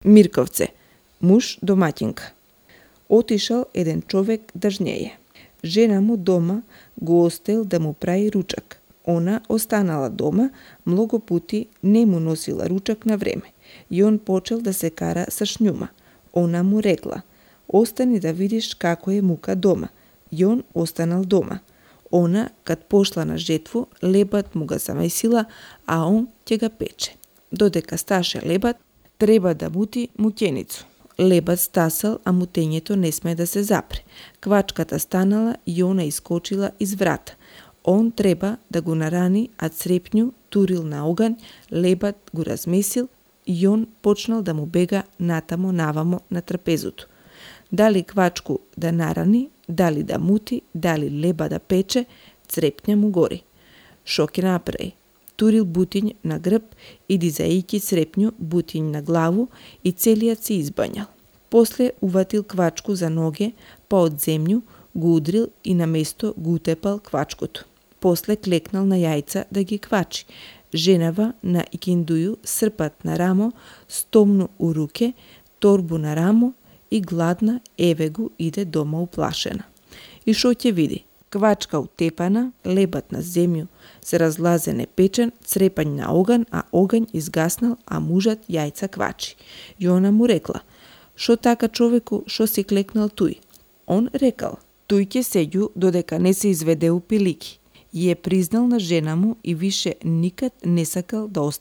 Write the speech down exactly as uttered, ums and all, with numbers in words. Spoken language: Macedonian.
Мирковце, муж домаќинка. Отишал еден човек да жнеje. Жена му дома го оставил да му прави ручак. Она останала дома, многу пати не му носила ручак на време. И он почел да се кара со шњума. Она му рекла: остани да видиш како е мука дома. И он останал дома. Она, кад пошла на жетву, лебат му га замесила, а он ќе ga пече. Додека сташе лебат, треба да мути муќеницу. Лебат стасал, а мутењето не сме да се запре. Квачката станала и она искочила из врата. Он треба да го нарани, а црепњу турил на оган, лебат го размесил и он почнал да му бега натамо навамо на трапезото. Дали квачку да нарани, дали да мути, дали леба да пече, црепња му гори. Шо ќе направи? Турил бутињ на грб и дизајќи црепњу бутињ на главу и целиот се избањал. После уватил квачку за ноге, па од земју го удрил и на место го утепал квачкото. После клекнал на јајца да ги квачи. Женава на икиндују српат на рамо, стомну у руке, торбу на рамо и гладна еве го иде дома уплашена. И шо ќе види? Квачка утепана, лебат на земју, се разлазен е печен, црепањ на оган, а оган изгаснал, а мужат јајца квачи. И она му рекла: шо така човеку, шо си клекнал туј? Он рекал: туј ќе седју додека не се изведе у пилики. И е признал на жена му и више никад не сакал да остане